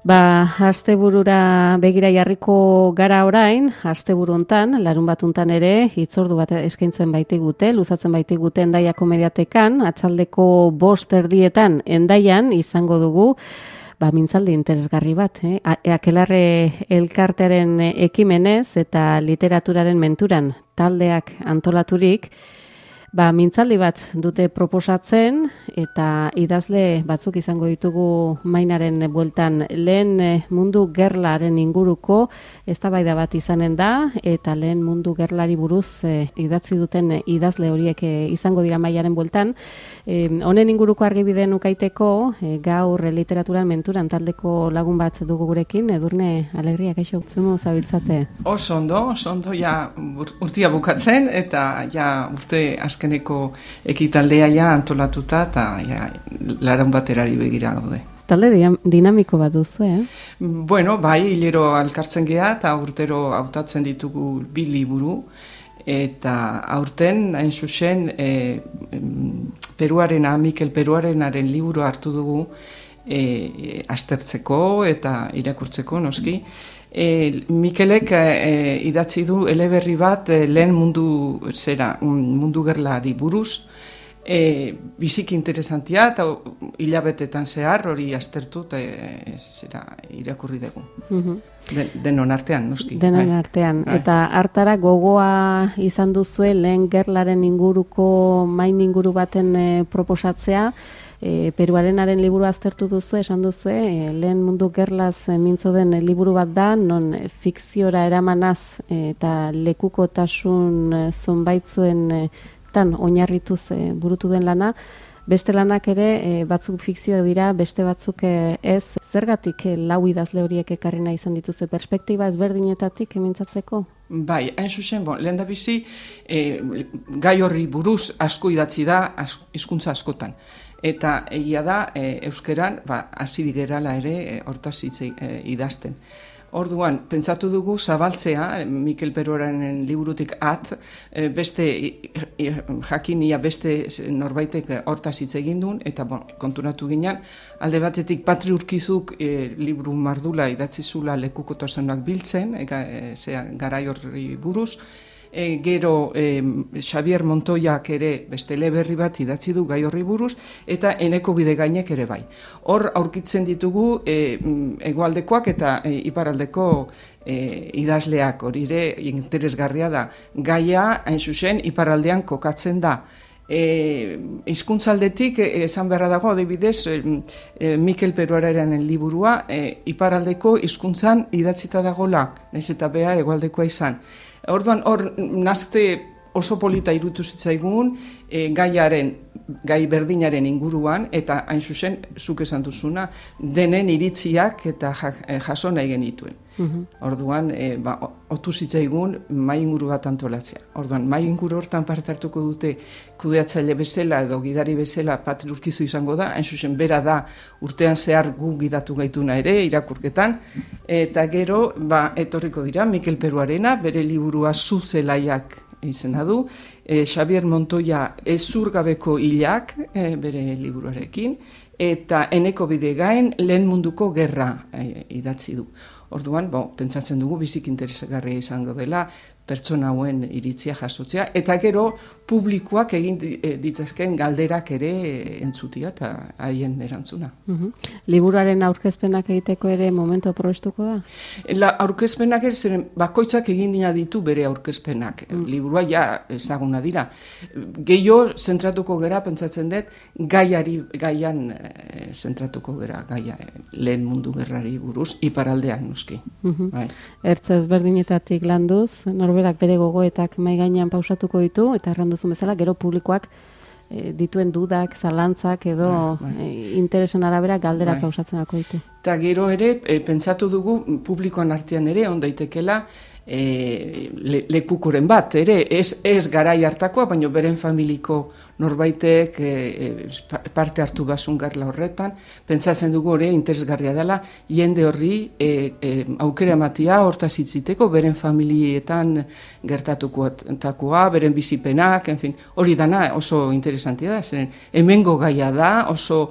Asteburura begira jarriko gara orain, asteburu hontan, larun bat hontan ere, hitzordu bat eskaintzen baitigute, luzatzen baitigute Hendaiako Mediatekan, atxaldeko 5:00 Hendaian izango dugu, mintzaldi interesgarri bat, Akelarre elkartearen ekimenez eta literaturaren menturan taldeak antolaturik, mintzaldi bat dute proposatzen eta idazle batzuk izango ditugu mainaren bueltan. Lehen mundu gerlaren inguruko eztabaida bat izanen da eta lehen mundu gerlari buruz idatzi duten idazle horiek izango dira mailaren bueltan. Honen inguruko argibideen ukaiteko gaur literaturan menturan taldeko lagun bat dugu gurekin. Edurne Alegria, kaixo, zumo zabiltzate? Oso ondo, ja urtia bukatzen eta ja urte azkeneko ekitaldea ja antolatuta eta ja larun baterari begira gaude. Talde dinamiko bat duzu, Bueno, bai, hilero alkartzen gea eta urtero hautatzen ditugu 2 liburu eta aurten hain zuzen Mikel Peruarenaren liburu hartu dugu aztertzeko eta irakurtzeko noski. Mikelek idatzi du eleberri bat lehen mundu gerlari buruz, biziki interesantia eta hilabetetan zehar hori aztertu irakurri dugu. Denon artean, noski. Denon artean. Eta hartara gogoa izan duzue lehen gerlaren inguruko main inguru baten proposatzea, Peruarenaren liburu aztertu duzu, esan duzu, lehen mundu gerlaz mintzo den liburu bat da, non fikziora eramanaz eta lekukotasun zonbaitzuen oinarrituz burutu den lana. Beste lanak ere batzuk fikzioak dira, beste batzuk ez. Zergatik lau idazle horiek ekarri nahi izan dituzu perspektiba ezberdinetatik mintzatzeko? Bai, hain zuzen, lehendabizi gai horri buruz asko idatzi da hizkuntza askotan. Eta egia da, euskeran, hasi gerala ere hortaz idazten. Orduan, pentsatu dugu zabaltzea, Mikel Peruaren liburutik beste jakinia beste norbaitek hortaz hitz egin duen, eta konturatu ginen, alde batetik Patri Urkizuk liburu mardula idatzi zula lekukotasunak biltzen, garai horri buruz. Gero Xavier Montoyak ere beste eleberri bat idatzi du gai horri buruz, eta Eneko Bidegainek ere bai. Hor aurkitzen ditugu hegoaldekoak eta iparaldeko idazleak, hori ere interesgarria da. Gaia, hain zuzen, iparaldean kokatzen da. Hizkuntzaldetik esan beharra dago, adibidez, Mikel Peruarenaren liburua iparaldeko hizkuntzan idatzita dagola, nahiz eta bea hegoaldekoa izan. Orduan, hor nazte oso polita irutu zitzaigun gai berdinaren inguruan, eta hain zuzen, zuk esan duzuna, denen iritziak eta jaso nahi genituen. Orduan, otu zitzaigun mai inguru bat antolatzea. Orduan, mai inguru hortan parte hartuko dute kudeatzaile bezala edo gidari bezala Patri Urkizu izango da, hain zuzen bera da urtean zehar gu gidatu gaituna ere irakurketan, eta gero etorriko dira Mikel Peruarena, bere liburua Zuzelaiak izena du, Xavier Montoya Ezurgabeko hilak bere liburuarekin, eta Eneko Bidegain lehen munduko gerra idatzi du. Orduan, pentsatzen dugu bizik interesgarria izango dela pertsona hauen iritzia jasotzea, eta gero publikoak egin ditzazken galderak ere entzutia eta haien erantzuna. Liburuaren aurkezpenak egiteko ere momentu aprobestuko da? Aurkezpenak bakoitzak egin dina ditu bere aurkezpenak. Liburua ja ezaguna dira. Gehiago zentratuko gera, pentsatzen dut, gaian zentratuko gera, gaia lehen mundu gerrari buruz, iparaldean noski. Ertz ezberdinetatik landuz, norberak bere gogoetak mai gainean pausatuko ditu, eta erranduzun bezala, gero publikoak dituen dudak, zalantzak edo interesen arabera galderak pausatzen dako ditu. Eta gero ere, pentsatu dugu publikoan artean ere, ondaitekela, lekukoren bat, ere, ez garai hartakoa, baina beren familiko norbaitek parte hartu basun garla horretan, pentsatzen dugu hori interesgarria dela, jende horri aukera ematia hortaz hitziteko, beren familietan gertatukoa, beren bizipenak, hori dana oso interesantia da, zeren hemengo gaia da, oso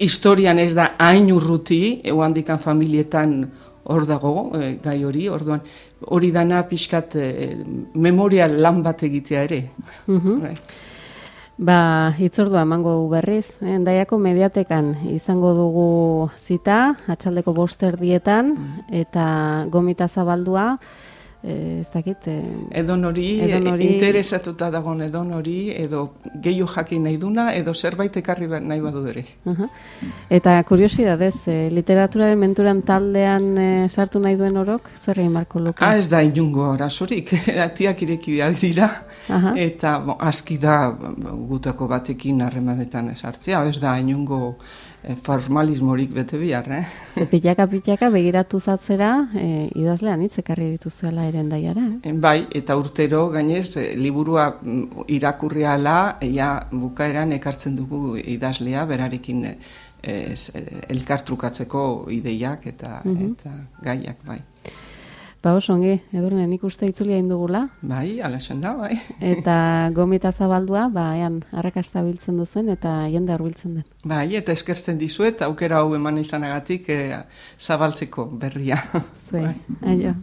historian ez da hain urruti, handikan familietan hor dago, gai hori, orduan hori dana pixkat memorial lan bat egitea ere. Bai. Hitzordua emango du berriz, Hendaiako mediatekan izango dugu zita, atxaldeko 5:00 eta gomita zabaldua, ez dakit... Edonori, interesatuta dagoen edonori, edo gehiago jakin nahi duna, edo zerbait ekarri nahi badu ere. Eta kuriosidadez, literaturaren menturan taldean sartu nahi duen orok, zer egin marko luke? Ez da inungo arazorik, atiak ireki dira, eta aski da gutako batekin harremanetan sartzea, ez da inungo formalismorik bete bihar, Pitaka begiratu zatzera, idazlean hitz ekarri dituzuela ere Hendaiara, Bai, eta urtero gainez, liburua irakurriala, bukaeran ekartzen dugu idazlea, berarekin elkartrukatzeko ideiak eta gaiak, bai. Oso ongi, Edurne, nik uste itzulia indugula. Bai, alaxen da, bai. Eta gomita zabaldua, arrakasta biltzen duzuen eta jende hurbiltzen den. Bai, eta eskertzen dizuet, aukera hau eman izanagatik zabaltzeko berria. Zue, aio.